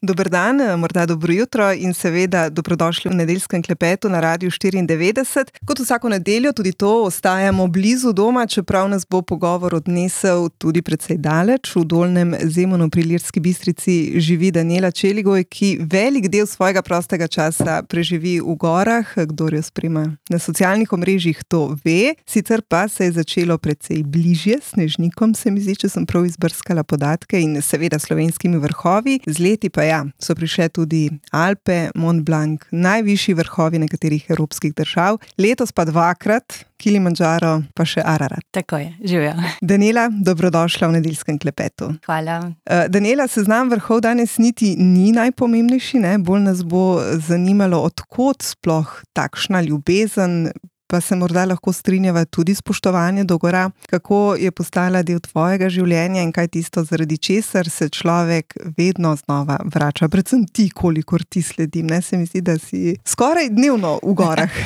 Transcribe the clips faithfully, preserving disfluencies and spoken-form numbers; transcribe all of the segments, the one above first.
Dober dan, morda dobro jutro in seveda dobrodošli v nedeljskem klepetu na Radiu štiriindevetdeset. Kot vsako nedeljo tudi to ostajamo blizu doma, čeprav nas bo pogovor odnesel tudi precej daleč. V Dolnjem Zemonu pri Ilirski Bistrici živi Danijela Čeligoj, ki velik del svojega prostega časa preživi v gorah. Kdor jo spremlja na socialnih omrežjih, to ve. Sicer pa se je začelo precej bližje Snežnikom, se mi zdi, če sem prav izbrskala podatke, in seveda slovenskimi vrhovi. Z leti pa ja, so prišle tudi Alpe, Mont Blanc, najvišji vrhovi nekaterih evropskih držav. Letos pa dvakrat Kilimandžaro, pa še Ararat. Tako je, živijo. Danijela, dobrodošla v nedeljskem klepetu. Hvala. Uh, Danijela, seznam vrhov danes niti ni najpomembnejši, ne? Bolj nas bo zanimalo, od kod sploh takšna ljubezen, pa se morda lahko strinjava tudi spoštovanje do gora. Kako je postala del tvojega življenja in kaj tisto, zaradi česar se človek vedno znova vrača? Predvsem ti, kolikor ti sledim, ne? Se mi zdi, da si skoraj dnevno v gorah.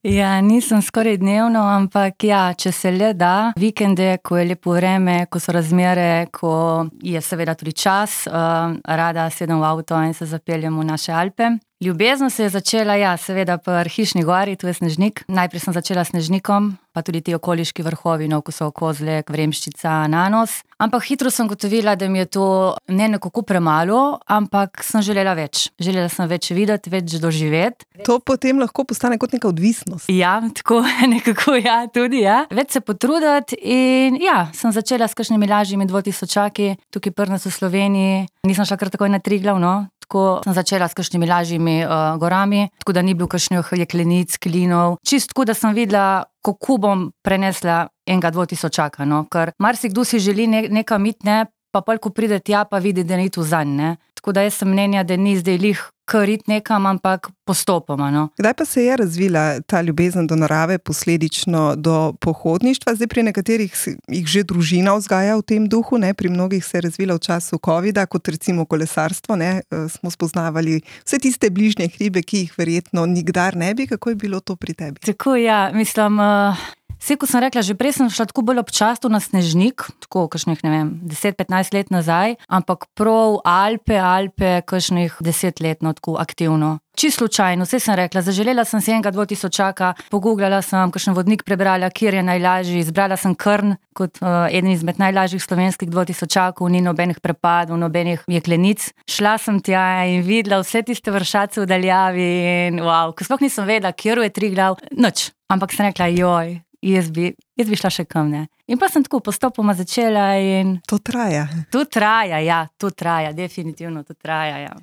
Ja, nisem skoraj dnevno, ampak ja, če se le da, vikende, ko je lepo vreme, ko so razmere, ko je seveda tudi čas, uh, rada sedem v avto in se zapeljem v naše Alpe. Ljubezen se je začela, ja, seveda pri Hišni gori, tu je Snežnik. Najprej sem začela s Snežnikom, pa tudi ti okoliški vrhovi, no, ko so Kozlek, Vremščica, Nanos. Ampak hitro sem gotovila, da mi je to ne nekako premalo, ampak sem želela več. Želela sem več videti, več doživeti. To potem lahko postane kot neka odvisnost. Ja, tako nekako, ja, tudi, ja. Več se potruditi in ja, sem začela s kakšnimi lažjimi dvotisočaki, tukaj pri nas v Sloveniji. Nisem šla kar takoj na Triglav, no. Tako sem začela s kakšnimi lažjimi uh, gorami, tako da ni bil kakšnih jeklenic, klinov. Čist tako, da sem videla, kako bom prenesla enega dvotisočaka, no. Ker marsikdo si želi ne, nekam iti, ne, pa pol, ko pride tja, pa vidi, da ni tu zanj, ne. Tako da jaz sem mnenja, da ni zdaj lih kar iti nekam, ampak postopoma, no. Kdaj pa se je razvila ta ljubezen do narave, posledično do pohodništva? Zdaj pri nekaterih jih že družina vzgaja v tem duhu, ne? Pri mnogih se je razvila v času covida, kot recimo kolesarstvo, ne? Smo spoznavali vse tiste bližnje hribe, ki jih verjetno nikdar ne bi. Kako je bilo to pri tebi? Tako, ja, mislim... Uh... Vse, ko sem rekla, že prej sem šla tako bolj občasno na Snežnik, tako kakšnih, ne vem, deset petnajst let nazaj, ampak prav Alpe, Alpe, kakšnih deset let, no, tako aktivno. Čisto slučajno, vse sem rekla, zaželela sem si enega dvotisočaka, pogooglala sem, kakšen vodnik prebrala, kjer je najlažji, izbrala sem Krn kot uh, eden izmed najlažjih slovenskih dvotisočakov, ni nobenih prepadov, nobenih jeklenic. Šla sem tja in videla vse tiste vršace v daljavi in wow, ko sploh nisem vedela, kjer je Triglav, nič, ampak sem rekla, joj, Jaz bi, jaz bi šla še kam, ne. In pa sem tako postopoma začela in... To traja. To traja, ja, to traja, definitivno to traja, ja.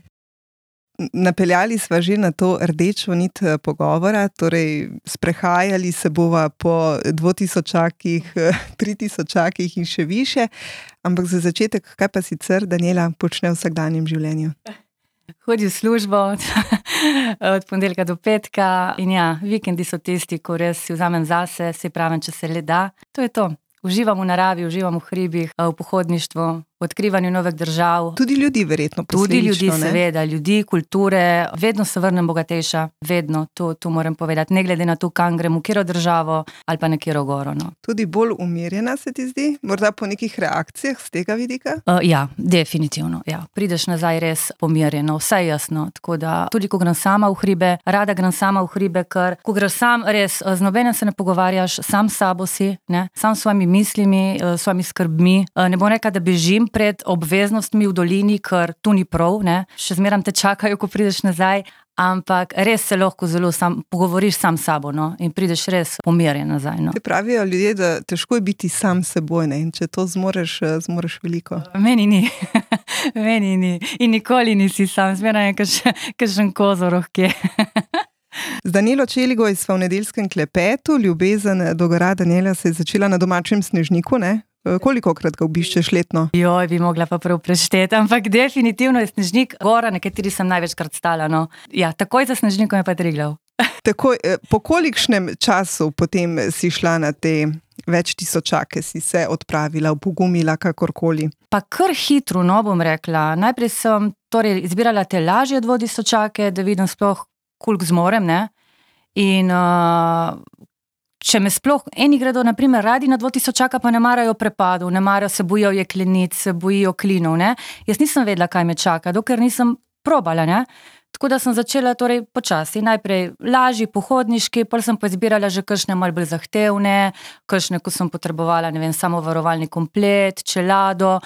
Napeljali sva že na to rdečo nit pogovora, torej sprehajali se bova po dvotisočakih, tritisočakih in še više, ampak za začetek, kaj pa sicer Danijela počne v vsakdanjem življenju? Hodi v službo od ponedeljka do petka in ja, vikendi so tisti, ko res si vzamem zase, si pravim, če se le da. To je to. Uživam v naravi, uživam v hribih, v pohodništvu, v odkrivanju novih držav. Tudi ljudi verjetno posledično, Tudi ljudi, ne? seveda, ljudi, kulture, vedno se vrnem bogatejša, vedno, to, to moram povedati, ne glede na to, kam grem, v katero državo ali pa na katero goro, no. Tudi bolj umirjena se ti zdi? Morda po nekih reakcijah z tega vidika? Uh, ja, definitivno, ja. Prideš nazaj res pomirjeno, vse jasno, tako da tudi ko grem sama v hribe, rada grem sama v hribe, ker ko greš sam, res, z nobenem se ne pogovarjaš, sam s sabo si, ne, sam s svojimi mislimi, s svojimi skrbmi, ne bom rekla, da bežim pred obveznostmi v dolini, ker tu ni prav, ne, še zmeram te čakajo, ko prideš nazaj, ampak res se lahko zelo sam, pogovoriš sam s sabo, no, in prideš res pomirjen nazaj, no. Te pravijo ljudje, da težko je biti sam s seboj, ne, in če to zmoreš, zmoreš veliko. Meni ni, meni ni, in nikoli nisi sam, zmeraj je kakšen kozoroh, kje. Z Danijelo Čeligoj sva v nedeljskem klepetu, ljubezen do gora Danijela se je začela na domačem Snežniku, ne? Kolikokrat ga obiščeš letno? Joj, bi mogla pa prav prešteti, ampak definitivno je Snežnik gora, na kateri sem največkrat stala, no. Ja, takoj za Snežnikom je pa Triglav. Tako, po kolikšnem času potem si šla na te več tisočake, si se odpravila, upogumila, kakorkoli? Pa kar hitro, no, bom rekla. Najprej sem torej izbirala te lažje dvotisočake, da vidim sploh, koliko zmorem, ne. In uh, če me sploh, eni gredo, na primer, radi na dvotisočaka, pa ne marajo prepadov, ne marajo, se bojijo jeklenic, se bojijo klinov, ne. Jaz nisem vedela, kaj me čaka, dokler nisem probala, ne. Tako da sem začela torej počasi, najprej lažji, pohodniški, pol sem pa izbirala že kakšne malo bolj zahtevne, kakšne, ko sem potrebovala, ne vem, samovarovalni komplet, čelado,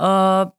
uh,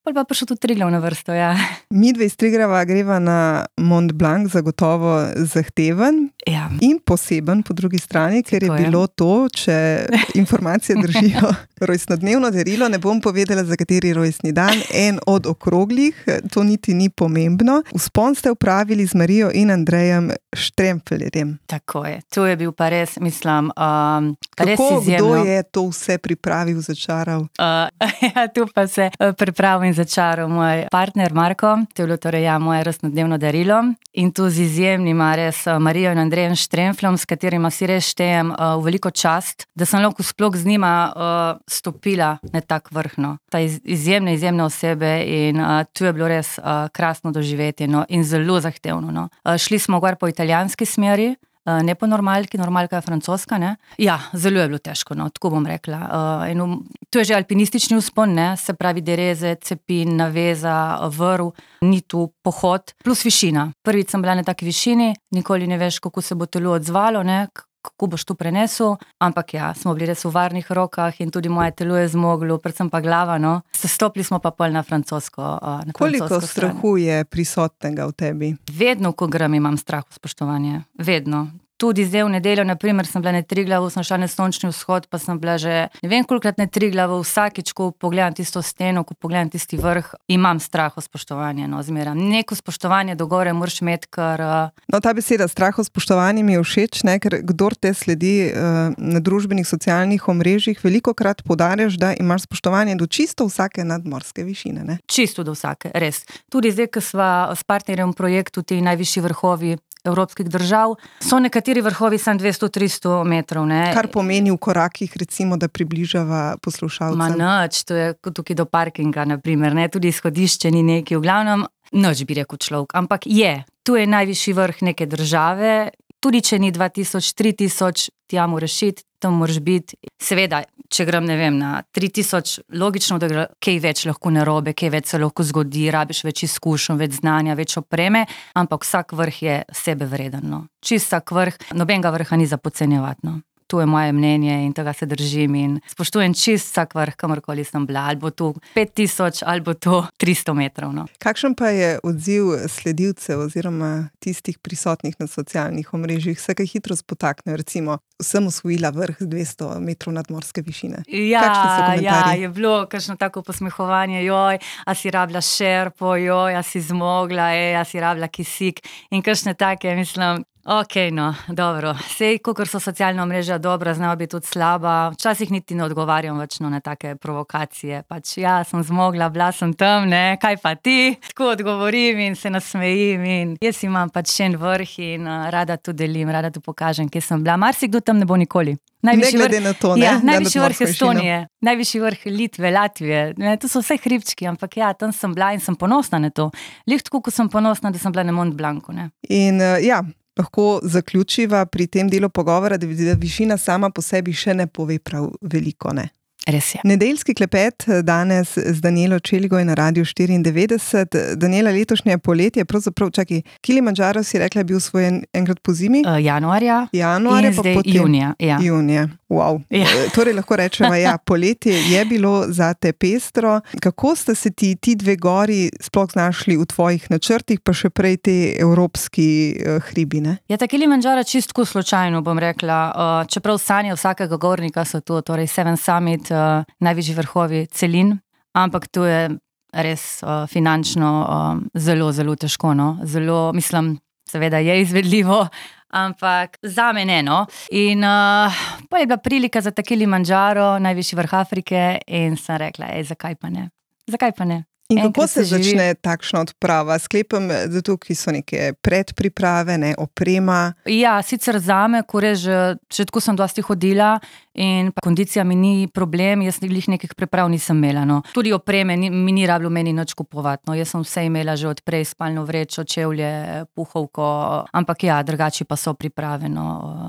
pol pa prišel tudi Triglav na vrsto, ja. Midve iz Triglava greva na Mont Blanc, zagotovo zahteven Ja. in poseben po drugi strani, ker je Tako je. bilo to, če informacije držijo, rojstnodnevno darilo, ne bom povedala, za kateri rojstni dan, en od okroglih, to niti ni pomembno. Vzpon ste upravili z Marijo in Andrejem Štremfeljerjem. Tako je, to je bil pa res, mislim, um, res Kako, izjemno. kdo je to vse pripravil, začaral? Uh, ja, tu pa se uh, pripravil in začaral moj partner Marko, to je bilo torej ja, moje rojstnodnevno darilo in tu z izjemnima res uh, Marijo in Andrejem Štremflom, s katerima si res štejem uh, v veliko čast, da sem lahko sploh z njima uh, stopila na tak vrhno. Ta iz, izjemne, izjemne osebe in uh, tu je bilo res uh, krasno doživetje, no, in zelo zahtevno. No. Uh, šli smo gor po italijanski smeri, Uh, ne po normalki, normalka je francoska, ne. Ja, zelo je bilo težko, no, tako bom rekla. Uh, in um, to je že alpinistični vzpon, ne, se pravi dereze, cepin, naveza, vrv, ni tu pohod, plus višina. Prvič sem bila na taki višini, nikoli ne veš, kako se bo telo odzvalo, ne, kako boš to prenesel, ampak ja, smo bili res v varnih rokah in tudi moje telo je zmoglo, predvsem pa glava, no. Sestopili smo pa pol na francosko, uh, na Koliko francosko stran. strahu je prisotnega v tebi? Vedno, ko grem, imam strah v spoštovanje. Vedno. Tudi zdaj v nedeljo, na primer, sem bila na Triglavu, sem šla na sončni vzhod, pa sem bila že ne vem kolikrat na Triglavu, vsakič, ko pogledam tisto steno, ko pogledam tisti vrh, imam strah v spoštovanje, no, zmeram. Neko spoštovanje do gore moraš imeti, ker... No, ta beseda strah v spoštovanju mi je všeč, ne, ker kdor te sledi uh, na družbenih socialnih omrežjih, velikokrat poudarjaš, da imaš spoštovanje do čisto vsake nadmorske višine, ne? Čisto do vsake, res. Tudi zdaj, ko sva s partnerjem v projektu ti najvišji vrhovi evropskih držav, so nekateri vrhovi samo dvesto do tristo metrov, ne. Kar pomeni v korakih, recimo, da približava poslušalcem. Ma nič, to je kot tukaj do parkinga, na primer, ne, tudi izhodišče ni neki, v glavnem, nič bi rekel človek, ampak je, tu je najvišji vrh neke države, tudi če ni dva tisoč, tri tisoč, tja moraš iti, tam moraš biti. Seveda, če grem, ne vem, na tri tisoč, logično, da gre kaj več lahko narobe, kaj več se lahko zgodi, rabiš več izkušenj, več znanja, več opreme, ampak vsak vrh je sebe vreden, no. Čist vsak vrh, nobenega vrha ni za podcenjevati, no. To je moje mnenje in tega se držim in spoštujem čist vsak vrh, kamorkoli sem bila, ali bo to pet tisoč, ali bo to tristo metrov, no. Kakšen pa je odziv sledilcev oziroma tistih prisotnih na socialnih omrežjih? Se kaj hitro spotaknejo, recimo, sem osvojila vrh z dvesto metrov nadmorske višine. Ja, Kakšni so ja, komentarji? je bilo kakšno tako posmehovanje, joj, a si rabila šerpo, joj, a si zmogla, ej, a si rabila kisik in kakšne take, mislim, ok, no, dobro. Sej, kakor so socialna omrežja dobra, znajo biti tudi slaba. Včasih niti ne odgovarjam več no, na take provokacije. Pač ja, sem zmogla, bila sem tam, ne, kaj pa ti? Tako odgovorim in se nasmejim in jaz imam pač še en vrh in uh, rada to delim, rada to pokažem, kje sem bila. Marsikdo tam ne bo nikoli. Najvišji ne glede vrh, na to, ne? Ja, na najvišji vrh Estonije, višino. Najvišji vrh Litve, Latvije. Ne, to so vse hribčki, ampak ja, tam sem bila in sem ponosna na to. Lih tako, ko sem ponosna, da sem bila na Mont Blancu, ne. In uh, ja, lahko zaključiva pri tem delu pogovora, da višina sama po sebi še ne pove prav veliko, ne? Res je. Nedeljski klepet danes z Danijelo Čeligoj na Radiu štiriindevetdeset. Danijela, letošnje poletje, pravzaprav, čakaj, Kilimandžaro si rekla, je bil svojen enkrat po zimi? Uh, januarja. Januarja, in pa zdaj potem junija. Ja. Junija. Wow. Ja. Torej lahko rečemo, ja, poletje je bilo za te pestro. Kako sta se ti ti dve gori sploh znašli v tvojih načrtih, pa še prej te evropski uh, hribi, ne? Ja, ta Kilimandžaro čistko slučajno, bom rekla. Uh, čeprav sanje vsakega gornika so tu, torej Seven Summit, uh, najvišji vrhovi celin, ampak to je res uh, finančno uh, zelo, zelo težko, no. Zelo, mislim, seveda je izvedljivo, ampak zame ne, no. In uh, pa je bila prilika za ta Kilimandžaro, najvišji vrh Afrike in sem rekla, ej, zakaj pa ne? Zakaj pa ne? In kako Enkrat se se živi. začne takšna odprava? Sklepam, da tukaj so neke predpriprave, ne, oprema. Ja, sicer zame, ko res že, že tako sem dosti hodila in pa kondicija mi ni problem, jaz glih nekih priprav nisem imela, no. Tudi opreme ni, mi ni rabilo meni nič kupovati, no. Jaz sem vse imela že odprej, spalno vrečo, čevlje, puhovko, ampak ja, drugače pa so priprave, no.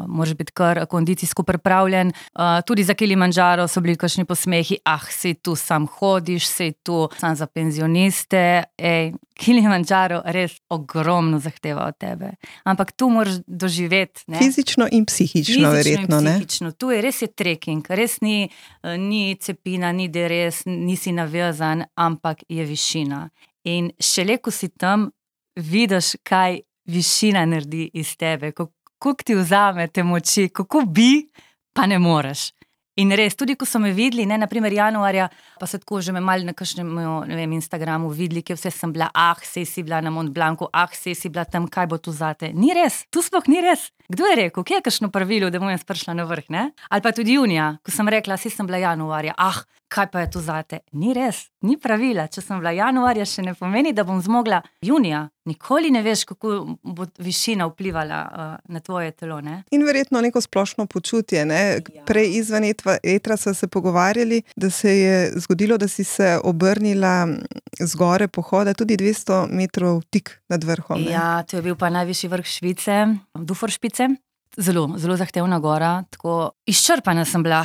Moraš biti kar kondicijsko pripravljen. Uh, tudi za Kilimandžaro so bili kakšni posmehi, ah, sej tu sam hodiš, sej tu sam za penzijo penzioniste, ej, Kilimandžaro res ogromno zahteva od tebe. Ampak tu moraš doživeti. Ne? Fizično in psihično, Fizično verjetno. in Ne? psihično. Tu je res je trekking, res ni, ni cepina, ni deres, nisi navezan, ampak je višina. In šele, ko si tam, vidiš, kaj višina naredi iz tebe, kako ti vzame te moči, kako bi, pa ne moreš. In res, tudi ko so me videli, ne, naprimer januarja, pa so tako že me malo na kakšnem, ne vem, Instagramu videli, kje vse sem bila, ah, sej si bila na Mont Blancu, ah, sej si bila tam, kaj bo tu zate. Ni res, tu sploh ni res. Kdo je rekel, kje je kakšno pravilo, da bom jaz prišla na vrh, ne? Ali pa tudi junija, ko sem rekla, sej sem bila januarja, ah, kaj pa je tu zate. Ni res, ni pravila. Če sem bila januarja, še ne pomeni, da bom zmogla junija. Nikoli ne veš, kako bo višina vplivala uh, na tvoje telo, ne? In verjetno neko splošno počutje, ne? Ja. Prej izven etra, etra so se pogovarjali, da se je zgodilo, da si se obrnila z gore pohoda tudi dvesto metrov tik nad vrhom. Ne? Ja, to je bil pa najvišji vrh Švice, Duforšpice. Zelo, zelo zahtevna gora, tako izčrpana sem bila.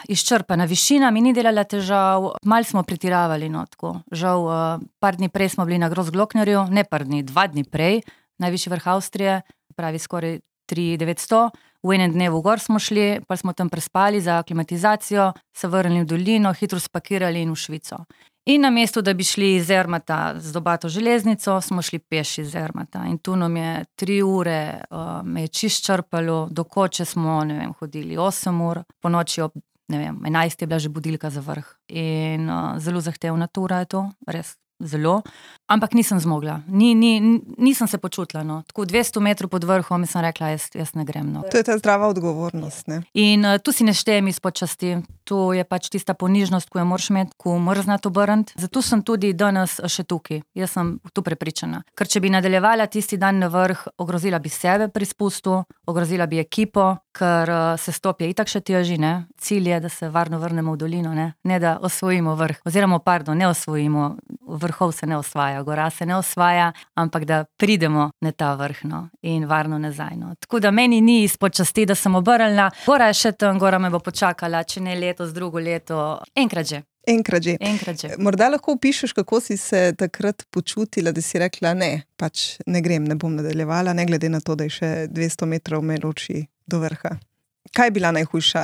Izčrpana višina mi ni delala težav, malo smo pretiravali, no, tako. Žal, uh, par dni prej smo bili na Grossglocknerju, ne par dni, dva dni prej, najvišji vrh Avstrije, pravi skoraj tri tisoč devetsto, v enem dnevu gor smo šli, pa smo tam prespali za aklimatizacijo, se vrnili v dolino, hitro spakirali in v Švico. In na mestu, da bi šli iz Zermata z Dobato železnico, smo šli peš iz Zermata. In tu nam je tri ure, uh, me je čist črpalo, do Koče smo, ne vem, hodili osem ur, po noči ob ne vem, enajst je bila že budilka za vrh. In uh, zelo zahtevna tura je to, res zelo. Ampak nisem zmogla, ni, ni, nisem se počutila, no. Tako dvesto metrov pod vrhom in sem rekla, jaz, jaz ne grem, no. To je ta zdrava odgovornost, ne? In uh, tu si ne štejem izpod časti, tu je pač tista ponižnost, ko jo moraš imeti, ko moraš znati obrniti. Zato sem tudi danes še tukaj, jaz sem tu prepričana. Ker če bi nadaljevala tisti dan na vrh, ogrozila bi sebe pri spustu, ogrozila bi ekipo, ker uh, se stopje itak še teži, ne? Cilj je, da se varno vrnemo v dolino, ne? Ne da osvojimo vrh, oziroma pardon, ne osvojimo, vrhov se ne osvaja, gora se ne osvaja, ampak da pridemo na ta vrh, no, in varno nazaj, no. Tako da meni ni izpod časti, da sem obrnila, gora je še tam, gora me bo počakala, če ne letos, drugo leto, enkrat že. Enkrat že. Enkrat že. Morda lahko opišeš, kako si se takrat počutila, da si rekla, ne, pač ne grem, ne bom nadaljevala, ne glede na to, da je še dvesto metrov me loči do vrha. Kaj je bila najhujša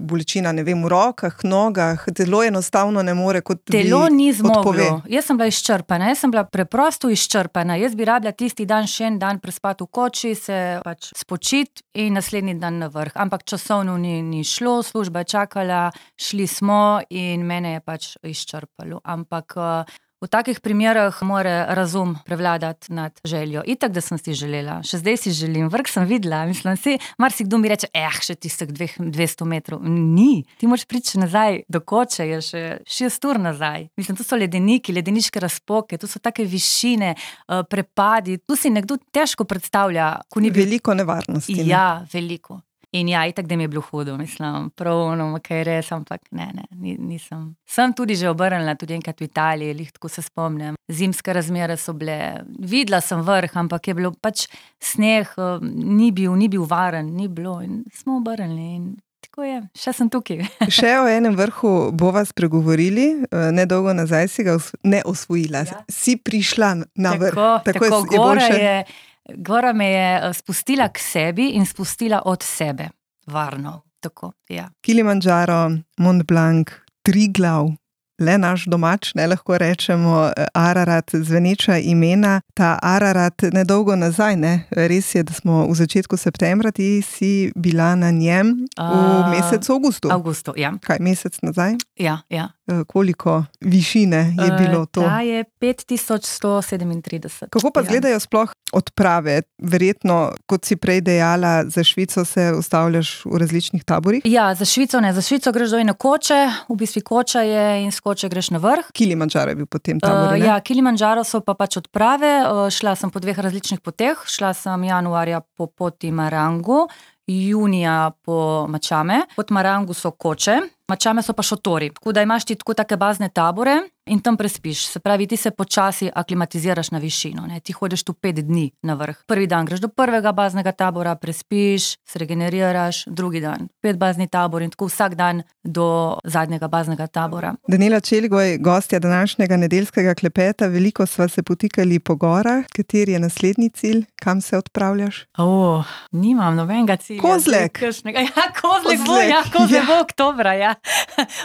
bolečina, ne vem, v rokah, nogah, telo enostavno ne more, kot bi Telo ni zmoglo. odpove. Jaz sem bila izčrpana, jaz sem bila preprosto izčrpana. Jaz bi rabila tisti dan še en dan prespati v koči, se pač spočiti in naslednji dan na vrh. Ampak časovno ni, ni šlo, služba je čakala, šli smo in mene je pač izčrpalo. Ampak v takih primerah mora razum prevladati nad željo. Itak, da sem si želela, še zdaj si želim, vrh sem videla, mislim si, marsikdo mi reče, eh, še tistih dvesto metrov. Ni, ti moraš priti nazaj do Koče, je še šest ur nazaj. Mislim, to so ledeniki, ledeniške razpoke, to so take višine, prepadi, tu si nekdo težko predstavlja, ko ni bil... Veliko nevarnosti. Ne? Ja, veliko. In ja, itak, da mi je bilo hudo, mislim, prav, no, kaj res, ampak ne, ne, nisem. Sem tudi že obrnila, tudi enkrat v Italiji, lih tako se spomnim. Zimske razmere so bile, videla sem vrh, ampak je bilo pač sneh, ni bil, ni bil varen, ni bilo in smo obrnili in tako je, še sem tukaj. Še o enem vrhu bova spregovorili, nedolgo nazaj si ga ne osvojila, ja. Si prišla na vrh. Tako, tako, tako je, gora je, je... Gora me je spustila k sebi in spustila od sebe. Varno. Tako, ja. Kilimandžaro, Mont Blanc, Triglav, le naš domač, ne lahko rečemo, Ararat, zveneča imena. Ta Ararat nedolgo nazaj, ne? Res je, da smo v začetku septembra, ti si bila na njem v mesecu avgustu. Avgustu, ja. Kaj, mesec nazaj? Ja, ja. Koliko višine je bilo to? Ta je pet tisoč sto sedemintrideset. Kako pa izgledajo sploh odprave? Verjetno, kot si prej dejala, za Švico se ustavljaš v različnih taborih? Ja, za Švico ne. Za Švico greš do ene Koče, v bistvu Koča je in s Koče greš na vrh. Kilimandžaro je bil potem tabor, ne? Uh, ja, Kilimandžaro so pa pač odprave. Uh, šla sem po dveh različnih poteh. Šla sem januarja po poti Marangu, junija po Mačame. Pod Marangu so Koče, Mačame so pa šotori. Tako da imaš ti tako take bazne tabore, in tam prespiš. Se pravi, ti se počasi aklimatiziraš na višino, ne? Ti hodiš tu pet dni na vrh. Prvi dan greš do prvega baznega tabora, prespiš, se regeneriraš, drugi dan pet bazni tabor in tako vsak dan do zadnjega baznega tabora. Daniela Čeligoj, gostja današnjega nedeljskega klepeta, veliko sva se potikali po gorah. Kateri je naslednji cilj? Kam se odpravljaš? O, nimam nobenega cilja. Kozlek! Ja, Kozlek bo, ja, Kozlek bo oktobra, ja.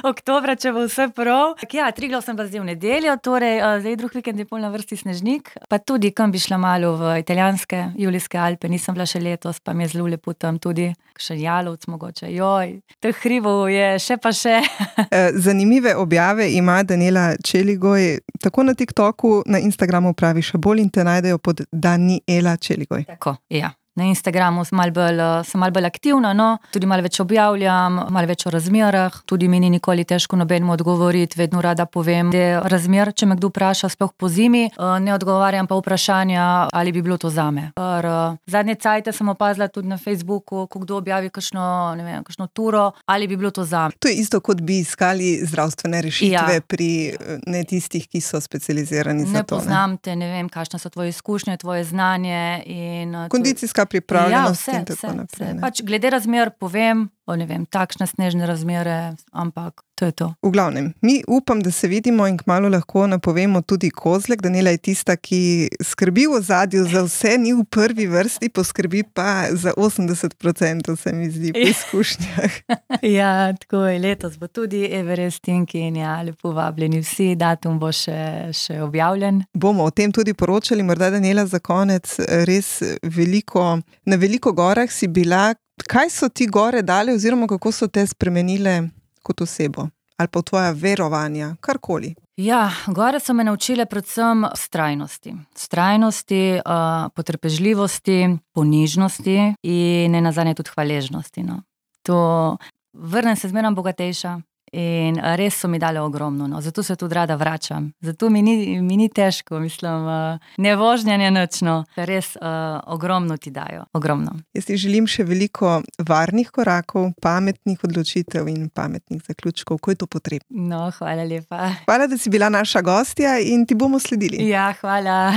Oktobra, če bo vse prav. Ja, Triglav sem pa zdaj v nedeljo, torej zdaj drug vikend je pol na vrsti Snežnik, pa tudi kam bi šla malo v italijanske, Julijske Alpe, nisem bila še letos, pa mi je zelo lepo tam tudi, še Jalovc mogoče, joj, teh hribov je še pa še. Zanimive objave ima Daniela Čeligoj, tako na TikToku, na Instagramu pravi še bolj in te najdejo pod Daniela Čeligoj. Tako, ja. Na Instagramu sem malo bolj, sem malo bolj aktivna, no, tudi malo več objavljam, malo več o razmerah, tudi mi ni nikoli težko nobenemu odgovoriti, vedno rada povem, da je razmer, če me kdo vpraša, sploh po zimi, ne odgovarjam pa vprašanja, ali bi bilo to zame. Ker zadnje cajte sem opazila tudi na Facebooku, ko kdo objavi kakšno, ne vem, kakšno turo, ali bi bilo to zame. To je isto, kot bi iskali zdravstvene rešitve, ja, pri ne tistih, ki so specializirani za ne to. Ne poznam te, ne vem, kakšne so tvoje izkušnje, tvoje znanje in kondicijska pripravljenost, ja, vse, in tako vse, naprej. vse. Pač glede razmer povem, o ne vem, takšne snežne razmere, ampak to je to. V glavnem, mi upam, da se vidimo in kmalu lahko napovemo tudi Kozlek. Daniela je tista, ki skrbi v ozadju za vse, ni v prvi vrsti, poskrbi pa za osemdeset procentov, se mi zdi, po izkušnjah. Ja, tako je, letos bo tudi Everesting in ja, lepo vabljeni vsi, datum bo še, še objavljen. Bomo o tem tudi poročali, morda Daniela za konec, res veliko, na veliko gorah si bila. Kaj so ti gore dale oziroma kako so te spremenile kot osebo? Ali pa tvoja verovanja, karkoli? Ja, gore so me naučile predvsem vztrajnosti. Vztrajnosti, uh, potrpežljivosti, ponižnosti in nenazadnje tudi hvaležnosti. No. To vrnem se zmeraj bogatejša. In res so mi dale ogromno, no. Zato se tudi rada vračam. Zato mi ni, mi ni težko, mislim, ne vožnja, ne nič, no. Res uh, ogromno ti dajo, ogromno. Jaz ti želim še veliko varnih korakov, pametnih odločitev in pametnih zaključkov, ko je to potrebno. No, hvala lepa. Hvala, da si bila naša gostja in ti bomo sledili. Ja, hvala.